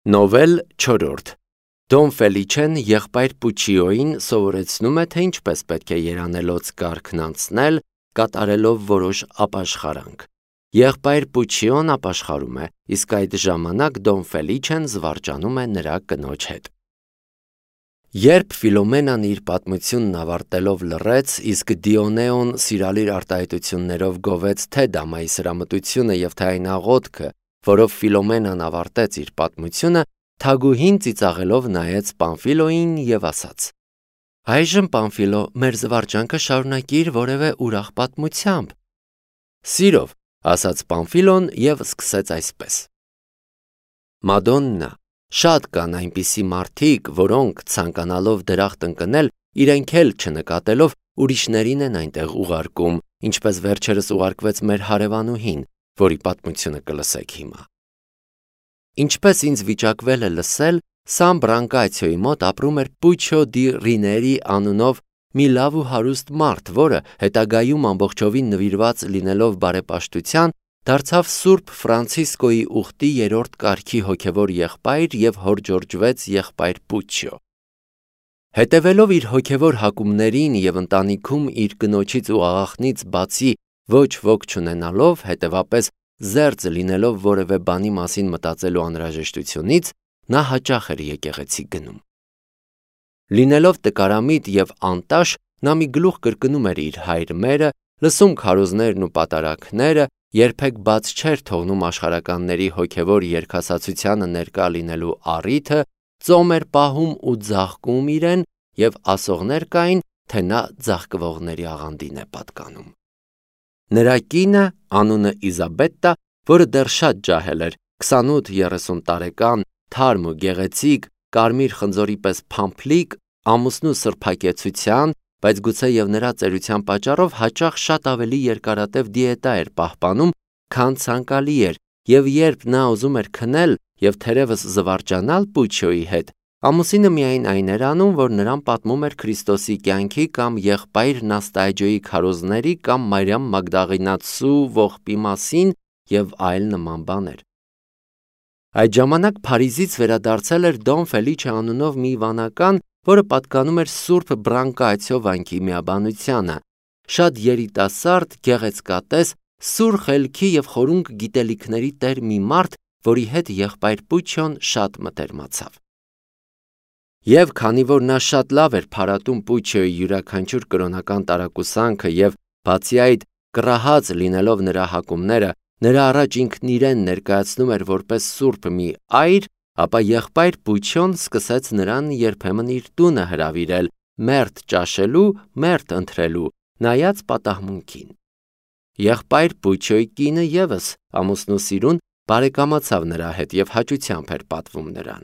Նովել 4. Դոն Ֆելիչեն եղբայր Պուչիոյին սովորեցնում է, թե ինչպես պետք է երանելոց կարգն անցնել, կատարելով որոշ ապաշխարանք։ Եղբայր Պուչիոն ապաշխարում է, իսկ այդ ժամանակ Դոն Ֆելիչեն զվարճանում է նրա կնոջ հետ։ Երբ Ֆիլոմենան իր պատմությունն ավարտելով լռեց, իսկ Դիոնեոն սիրալիր արտահայտություններով գովեց թե Դամայի սրամտությունը և թե այն աղոթքը, որով Ֆիլոմենան ավարտեց իր պատմությունը, թագուհին ծիծաղելով նայեց Պամֆիլոյին և ասաց. «Այժմ, Պամֆիլո, մեր զվարճանքը շարունակիր որևէ ուրախ պատմությամբ»։ «Սիրով», ասաց Պամֆիլոն և սկսեց այսպես. Մադոննա, շատ կան այնպիսի մարդիկ, որոնք ցանկանալով դրախտ ընկնել, իրենք էլ չնկատելով ուրիշներին են այնտեղ ուղարկում, ինչպես վերջերս ուղարկվեց մեր հարևանուհին, որի պատմությունը կլսեք հիմա։ Ինչպես ինձ վիճակվել է լսել, Սան Բրանկացիոյի մոտ ապրում էր Պուչո դի Ռիների անունով մի լավ ու հարուստ մարդ, որը հետագայում ամբողջովին նվիրված լինելով բարեպաշտության, դարձավ Սուրբ Ֆրանցիսկոյի ուխտի 3-րդ կարգի հոգևոր եղբայր և հորջորջվեց եղբայր Պուչիո։ Հետևելով իր հոգևոր հակումներին և ընտանիքում իր կնոջից ու աղախնից բացի ոչ ոք չունենալով, հետևապես զերծ լինելով որևէ բանի մասին մտածելու անհրաժեշտությունից, նա հաճախ էր եկեղեցի գնում։ Լինելով տկարամիտ և անտաշ, նա մի գլուխ կրկնում էր իր հայր մերը, լսում քարոզներն ու պատարագները, երբեք բաց չէր թողնում աշխարհականների հոգևոր երգասացությանը ներկա լինելու առիթը, ծոմ էր պահում ու ձաղկում իրեն, և ասողներ կային, թե նա ձաղկվողների աղանդին է պատկանում։ Նրա կինը, անունը Իզաբետտա, որը դեռ շատ ջահել էր, 28-30 տարեկան, թարմ ու գեղեցիկ, կարմիր խնձորի պես փամփլիկ, ամուսնու սրբակեցության, բայց գուցեև նրա ծերության պատճառով հաճախ շատ ավելի երկարատև դիետա էր պահպանում, քան ցանկալի էր, և երբ նա ուզում էր քնել և թերևս զվարճանալ Պուչիոյի հետ, ամուսինը միայն այն էր անում, որ նրան պատմում էր Քրիստոսի կյանքի կամ եղբայր Նաստայջոյի քարոզների կամ Մարիամ Մագդաղինացու ողբի մասին և այլ նման բաներ։ Այդ ժամանակ Փարիզից վերադարձել էր Դոն Ֆելիչե անունով մի վանական, որը պատկանում էր Սուրբ Բրանկացիո վանքի միաբանությանը, շատ երիտասարդ, գեղեցկատես, սուր խելքի և խորունկ գիտելիքների տեր մի մարդ, որի հետ եղբայր Պուչիոն շատ մտերմացավ։ Եվ քանի որ նա շատ լավ էր փարատում Պուչիոյի յուրաքանչյուր կրոնական տարակուսանքը և բացի այդ կռահած լինելով նրա հակումները, նրա առաջ ինքն իրեն ներկայացնում էր որպես սուրբ մի այր, ապա եղբայր Պուչիոն սկսեց նրան երբեմն իր տունը հրավիրել, մերթ ճաշելու, մերթ ընթրելու, նայած պատահմունքին։ Եղբայր Պուչիոյի կինը ևս ամուսնու սիրուն բարեկամացավ նրա հետ և հաճությամբ էր պատվում նրան։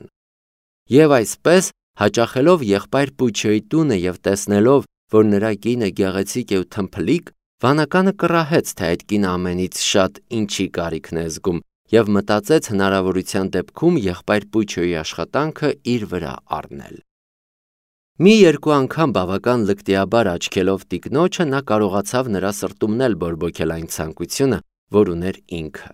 Եվ այսպես, հաճախելով եղբայր Պուչիոյի տունը և տեսնելով, որ նրա կինը գեղեցիկ է ու թմփլիկ, վանականը կռահեց, թե այդ կինը ամենից շատ ինչի կարիքն է զգում, և մտածեց հնարավորության դեպքում եղբայր Պուչիոյի աշխատանքը իր վրա առնել։ Մի-երկու անգամ բավական լկտիաբար աչքելով տիկնոջը, նա կարողացավ նրա սրտումն էլ բորբոքել այն ցանկությունը, որ ուներ ինքը։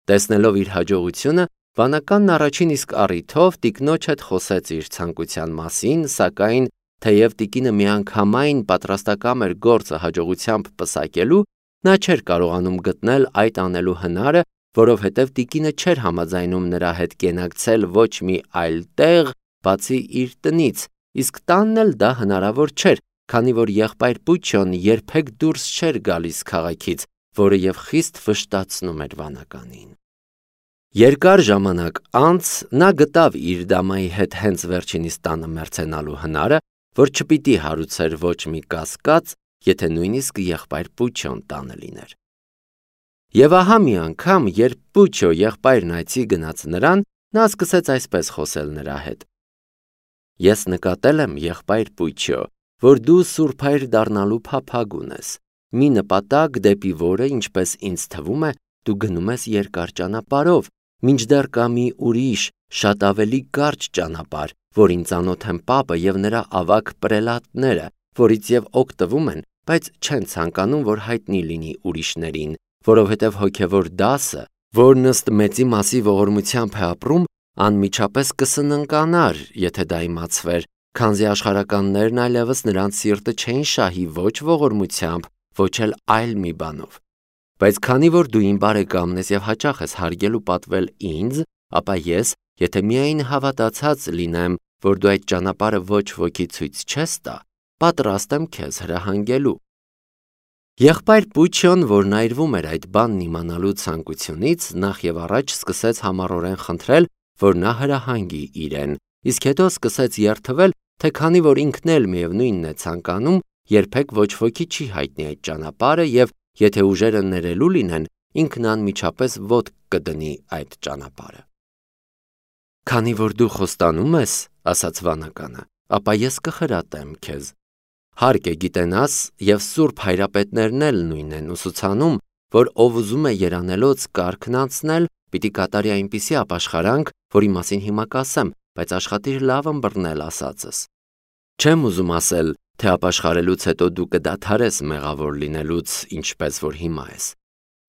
Տեսնելով իր հաջողությունը, վանականն առաջին իսկ առիթով տիկնոջ հետ խոսեց իր ցանկության մասին, սակայն թեև տիկինը միանգամայն պատրաստակամ էր գործը հաջողությամբ պսակելու, նա չէր կարողանում գտնել այդ անելու հնարը, որովհետև տիկինը չէր համաձայնում նրա հետ կենակցել ոչ մի այլ տեղ, բացի իր տնից, իսկ տանն էլ դա հնարավոր չէր, քանի որ եղբայր Պուչիոն երբեք դուրս չէր գալիս քաղաքից, որը և խիստ վշտացնում էր վանականին։ Երկար ժամանակ անց նա գտավ իր դամայի հետ հենց վերջինիս տանը մերձենալու հնարը, որ չպիտի հարուցեր ոչ մի կասկած, եթե նույնիսկ եղբայր Պուչիոն տանը լիներ։ Եվ ահա մի անգամ, երբ Պուչիո եղբայրն այցի գնաց նրան, նա սկսեց այսպես խոսել նրա հետ. «Ես նկատել եմ, եղբայր Պուչիո, որ դու սուրբ հայր դառնալու փափագ ունես, մի նպատակ, դեպի որը, ինչպես ինձ թվում է, դու գնում ես երկար ճանապարհով, մինչդեռ կա մի ուրիշ, շատ ավելի կարճ ճանապարհ, որին ծանոթ են Պապը և նրա ավագ պրելատները, որից և օգտվում են, բայց չեն ցանկանում, որ հայտնի լինի ուրիշներին, որովհետև հոգևոր դասը, որն ըստ Մեծի Մասի ողորմությամբ է ապրում, անմիջապես կսննկանար, եթե դա իմացվեր, քանզի աշխարհականներն այլևս նրանց սիրտը չէին շահի ոչ ողորմությամբ, ոչ էլ այլ մի բանով։ Բայց քանի որ դու իմ բարեկամն ես եւ հաճախ ես հարգել ու պատվել ինձ, ապա ես, եթե միայն հավատացած լինեմ, որ դու այդ ճանապարհը ոչ ոքի ցույց չես տա, պատրաստ եմ քեզ հրահանգելու։ Եղբայր Պուչյոն, որն այրվում էր այդ բանն իմանալու ցանկությունից, նախ եւ առաջ սկսեց համառորեն խնդրել, որ նա հրահանգի իրեն, իսկ հետո սկսեց երդվել, թե քանի որ ինքն էլ միևնույնն է ցանկանում, երբեք ոչ ոքի չի հայտնի այդ ճանապարհը եւ եթե ուժերը ներելու լինեն, ինքն անմիջապես ոտք կդնի այդ ճանապարհը։ Քանի որ դու խոստանում ես, ասաց վանականը, ապա ես կխրատեմ քեզ։ Հարկ է գիտենաս, եւ սուրբ հայրապետներն էլ նույնն են ուսուցանում, որ ով ուզում է երանելոց կարգն անցնել, պիտի կատարի այնպիսի ապաշխարանք, որի մասին հիմա կասեմ, բայց աշխատիր լավ ըմբռնել ասածս։ Չեմ ուզում ասել, թե ապաշխարելուց հետո դու կդադարես մեղավոր լինելուց, ինչպես որ հիմա ես,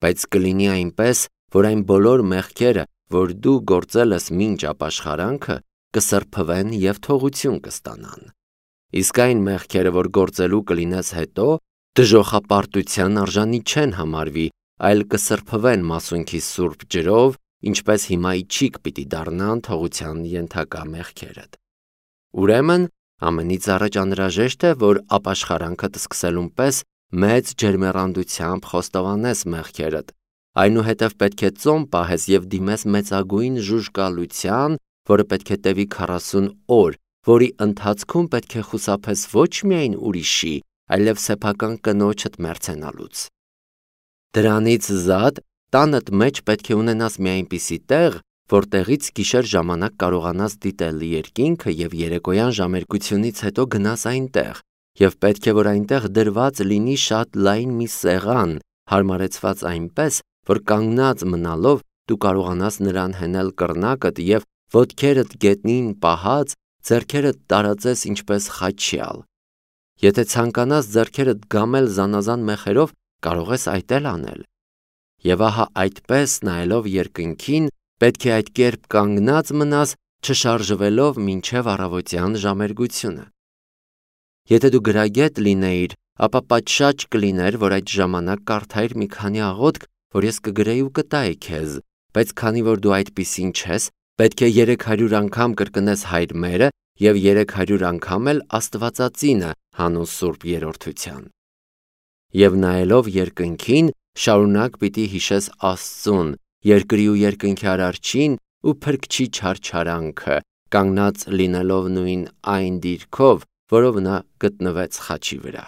բայց կլինի այնպես, որ այն բոլոր մեղքերը, որ դու գործել ես մինչ ապաշխարանքը, կսրբվեն եւ թողություն կստանան։ Իսկ այն մեղքերը, որ գործելու կլինես հետո, դժոխապարտության արժանի չեն համարվի, այլ կսրբվեն մասունքի սուրբ ջրով, ինչպես հիմա իջիկ պիտի դառնան թողության ենթակա մեղքերդ։ Ուրեմն, ամենից առաջ անհրաժեշտ է, որ ապաշխարանքդ սկսելուն պես մեծ ջերմեռանդությամբ խոստովանես մեղքերդ, այնուհետև պետք է ծոմ պահես եւ դիմես մեծագույն ժուժկալության, որը պետք է տևի 40 օր, որի ընթացքում պետք է խուսափես ոչ միայն ուրիշի, այլև սեփական կնոջդ մերձենալուց։ Դրանից զատ տանդ մեջ պետք է ունենաս մի այնպիսի տեղ, որտեղից գիշեր ժամանակ կարողանաս դիտել երկինքը եւ երեկոյան ժամերկությունից հետո գնաս այնտեղ, եւ պետք է որ այնտեղ դրված լինի շատ լայն մի սեղան, հարմարեցված այնպես, որ կանգնած մնալով դու կարողանաս նրան հենել կռնակդ եւ ոտքերդ գետնին պահած ձեռքերդ տարածես ինչպես խաչյալ։ Եթե ցանկանաս ձեռքերդ գամել զանազան մեխերով, կարող ես այդ էլ անել։ Եվ ահա այդպես նայելով երկնքին, պետք է այդ կերպ կանգնած մնաս, չշարժվելով մինչև առավոտյան ժամերգությունը։ Եթե դու գրագետ լինեիր, ապա պատշաճ կլիներ, որ այդ ժամանակ կարդայիր մի քանի աղոթք, որ ես կգրեի ու կտայի քեզ, բայց քանի որ դու այդպիսին չես, պետք է 300 անգամ կրկնես Հայր մերը եւ 300 անգամ էլ Աստվածածինը հանուն Սուրբ Երրորդության։ Եվ նայելով երկնքին, շարունակ պիտի հիշես Աստծուն, երկրի ու երկնքի արարչին ու փրկչի չարչարանքը, կանգնած լինելով նույն այն դիրքով, որով նա գտնվեց խաչի վրա։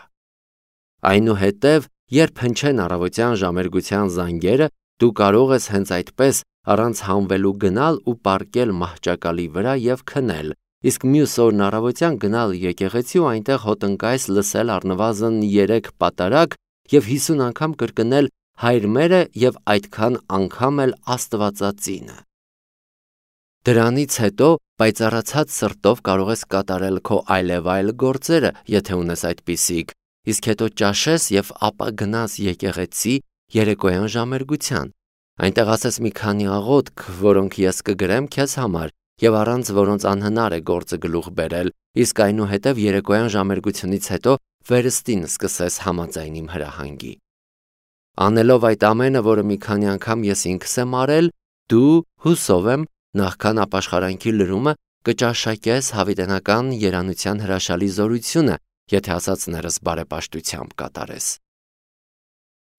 Այնուհետև, երբ հնչեն առավոտյան ժամերգության զանգերը, դու կարող ես հենց այդպես առանց հանվելու գնալ ու պառկել մահճակալի վրա եւ քնել, իսկ մյուս օրն առավոտյան գնալ եկեղեցի ու այնտեղ հոտնկայս լսել առնվազն 3 պատարագ եւ 50 անգամ կրկնել Հայր մերը եւ այդքան անգամ էլ Աստվածածինը։ Դրանից հետո պայծառացած սրտով կարող ես կատարել քո այլևայլ գործերը, եթե ունես այդպիսիք, իսկ հետո ճաշես եւ ապա գնաս եկեղեցի երեկոյան ժամերգության։ Այնտեղ ասես մի քանի աղոթք, որոնք ես կգրեմ քեզ համար եւ առանց որոնց անհնար է գործը գլուխ բերել, իսկ այնուհետև երեկոյան ժամերգությունից հետո վերստին սկսես համաձայն իմ հրահանգի։ Անելով այդ ամենը, որը մի քանի անգամ ես ինքս եմ արել, դու, հուսով եմ, նախքան ապաշխարանքի լրումը կճաշակես հավիտենական երանության հրաշալի զորությունը, եթե ասածներս բարեպաշտությամբ կատարես։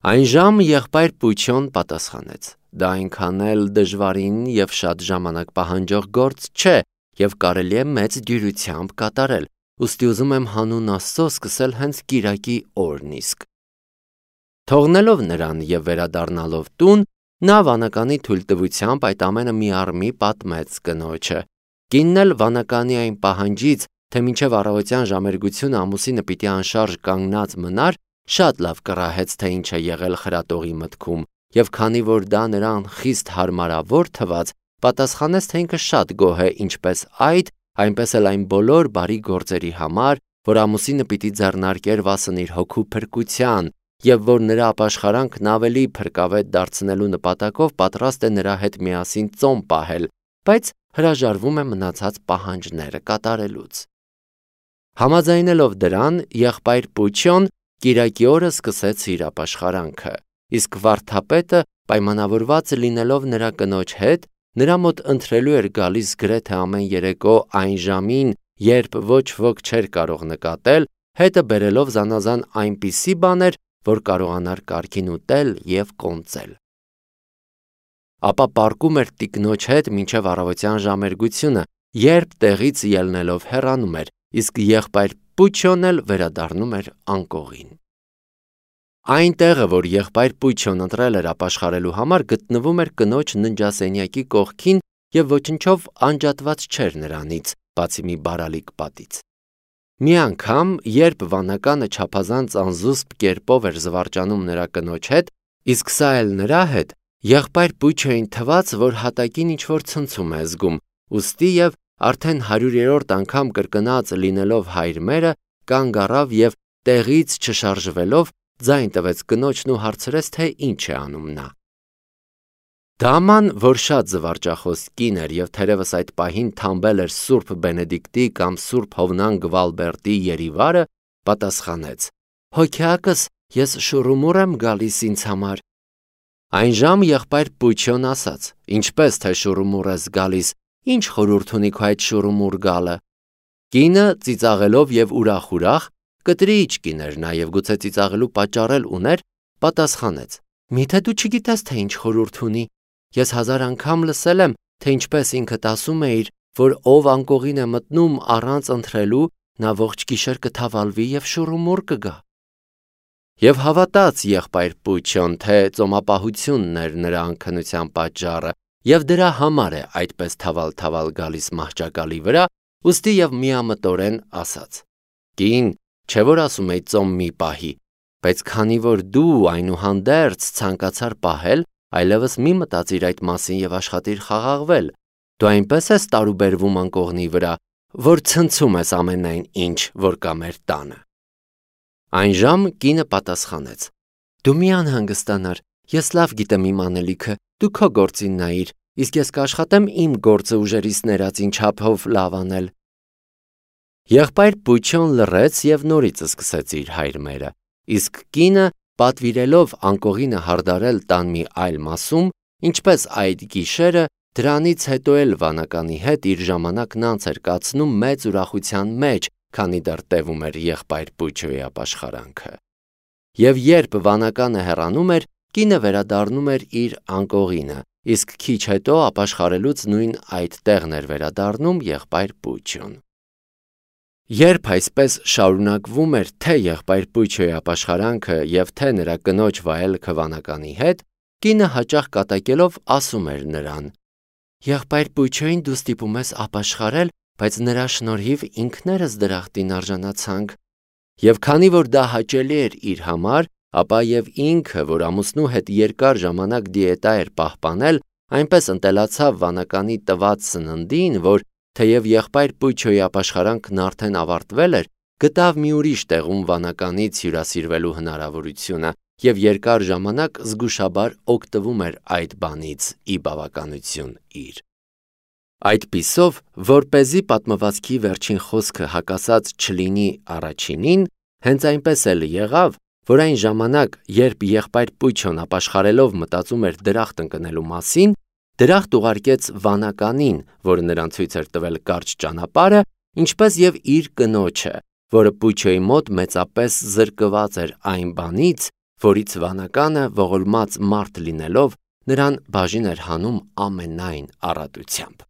Այն ժամ եղբայր Պուչյոն պատասխանեց. դա այնքան էլ դժվարին եւ շատ ժամանակ պահանջող գործ չէ եւ կարելի է մեծ դյուրությամբ կատարել, ուստի ուզում եմ հանուն Աստծո սկսել հենց կիրակի օրն իսկ։ Թողնելով նրան եւ վերադառնալով տուն, նա վանականի թույլտվությամբ այդ ամենը մի առ մի պատմեց կնոջը։ Կինն էլ վանականի այն պահանջից, թե մինչև առավոտյան ժամերգությունը ամուսինը պիտի անշարժ կանգնած մնար, շատ լավ կռահեց, թե ինչ է եղել խրատողի մտքում, եւ քանի որ դա նրան խիստ հարմարավոր թվաց, պատասխանեց, թե ինքը շատ գոհ է ինչպես այդ, այնպես էլ այն բոլոր բարի գործերի համար, որ ամուսինը պիտի ձեռնարկեր վասն իր հոգու փրկության, եւ որ նրա ապաշխարանքն ավելի փրկավետ դարձնելու նպատակով պատրաստ է նրա հետ միասին ծոմ պահել, բայց հրաժարվում է մնացած պահանջները կատարելուց։ Համաձայնելով դրան, եղբայր Պուչյոն կիրակի օրը սկսեց իր ապաշխարանքը, իսկ վարդապետը, պայմանավորված լինելով նրա կնոջ հետ, նրա մոտ ընթրելու էր գալիս գրեթե ամեն երեկո այն ժամին, երբ ոչ ոք չէր կարող նկատել, հետը բերելով զանազան այնպիսի բաներ, որ կարողանար կարգին ուտել և կոնծել։ Ապա պառկում էր տիկնոջ հետ մինչև առավոտյան ժամերգությունը, երբ տեղից ելնելով հեռանում էր, իսկ եղբայր Պուչյոն էլ վերադառնում էր անկողին։ Այն տեղը, որ եղբայր Պուչյոն ընտրել էր ապաշխարելու համար, գտնվում էր կնոջ ննջասենյակի կողքին և ոչնչով անջատված չէր նրանից, բացի մի բարալիկ պատից։ Մի անգամ, երբ վանականը չափազանց անզուսպ կերպով էր զվարճանում նրա կնոջ հետ, իսկ սա էլ նրա հետ, եղբայր Պուչյոյին թվաց, որ հատակին ինչ-որ ցնցում է զգում, ուստի և արդեն 100-րդ անգամ կրկնած լինելով հայր մերը, կանգ առավ և տեղից չշարժվելով, ձայն տվեց կնոջն ու հարցրեց, թե ինչ է անում նա։ Դաման, որ շատ զվարճախոս կին էր և թերևս այդ պահին թամբել էր Սուրբ Բենեդիկտի կամ Սուրբ Հովնան Գվալբերտի երիվարը, պատասխանեց. «Հոգյակս, ես շուռումուռ եմ գալիս ինձ համար»։ Այն ժամ եղբայր Պուչյոն ասաց. «Ինչպես թե շուռումուռ ես գալիս, ինչ խորհուրդ ունի քո այդ շուռումուռ գալը»։ Կինը ծիծաղելով և ուրախ, կտրիիչ կին էր նա և գուցե ծիծաղելու պատճառ էլ ուներ, պատասխանեց. «Միթե դու չգիտես, թե ինչ խորհուրդ ունի։ Ես 1000 անգամ լսել եմ, թե ինչպես ինքդ ասում էիր, որ ով անկողին է մտնում առանց ընթրելու, նա ողջ գիշեր կթավալվի և շուռումուռ կգա»։ Եվ հավատաց եղբայր Պուչյոն, թե ծոմապահությունն էր նրա անքնության պատճառը, և դրա համար է այդպես թավալ գալիս մահճակալի վրա, ուստի և միամտորեն ասաց. «Կին, չէ որ ասում էի ծոմ մի պահի, բայց քանի որ դու այնուհանդերձ ցանկացար պահել, այլևս մի մտածիր այդ մասին և աշխատիր խաղաղվել, դու այնպես ես տարուբերվում անկողնի վրա, որ ցնցում ես ամենայն ինչ, որ կա մեր տանը»։ Այն ժամ կինը պատասխանեց. «Դու մի անհանգստանար, ես լավ գիտեմ իմ անելիքը, դու քո գործին նայիր, իսկ ես կաշխատեմ իմ գործը ուժերիս ներածին չափով լավ անել»։ Եղբայր Պուչյոն լռեց և նորից սկսեց իր հայր մերը, իսկ կինը, պատվիրելով անկողինը հարդարել տան մի այլ մասում, ինչպես այդ գիշերը, դրանից հետո էլ վանականի հետ իր ժամանակն անց էր կացնում մեծ ուրախության մեջ, քանի դեռ տևում էր եղբայր Պուչյոյի ապաշխարանքը։ Եվ երբ վանականը հեռանում էր, կինը վերադառնում էր իր անկողինը, իսկ քիչ հետո ապաշխարելուց նույն այդ տեղն էր վերադառնում եղբայր Պուչյոն։ Երբ այսպես շարունակվում էր թե եղբայր Պուչյոյի ապաշխարանքը և թե նրա կնոջ վայելքը վանականի հետ, կինը հաճախ կատակելով ասում էր նրան. «Եղբայր Պուչյոյին դու ստիպում ես ապաշխարել, բայց նրա շնորհիվ ինքներս դրախտին արժանացանք»։ Եվ քանի որ դա հաճելի էր իր համար, ապա և ինքը, որ ամուսնու հետ երկար ժամանակ դիետա էր պահպանել, այնպես ընտելացավ վանականի տված սննդին, որ թեև եղբայր Պուչյոյի ապաշխարանքն արդեն ավարտվել էր, գտավ մի ուրիշ տեղում վանականից հյուրասիրվելու հնարավորությունը և երկար ժամանակ զգուշաբար օգտվում էր այդ բանից ի բավականություն իր։ Այդպիսով, որպեսզի պատմվածքի վերջին խոսքը հակասած չլինի առաջինին, հենց այնպես էլ եղավ, որ այն ժամանակ, երբ եղբայր Պուչյոն ապաշխարելով մտածում էր դրախտ ընկնելու մասին, դրախտ ուղարկեց վանականին, որը նրան ցույց էր տվել կարճ ճանապարհը, ինչպես և իր կնոջը, որը Պուչյոյի մոտ մեծապես զրկված էր այն բանից, որից վանականը ողորմած մարդ լինելով, նրան բաժին էր հանում ամենայն առատությամբ։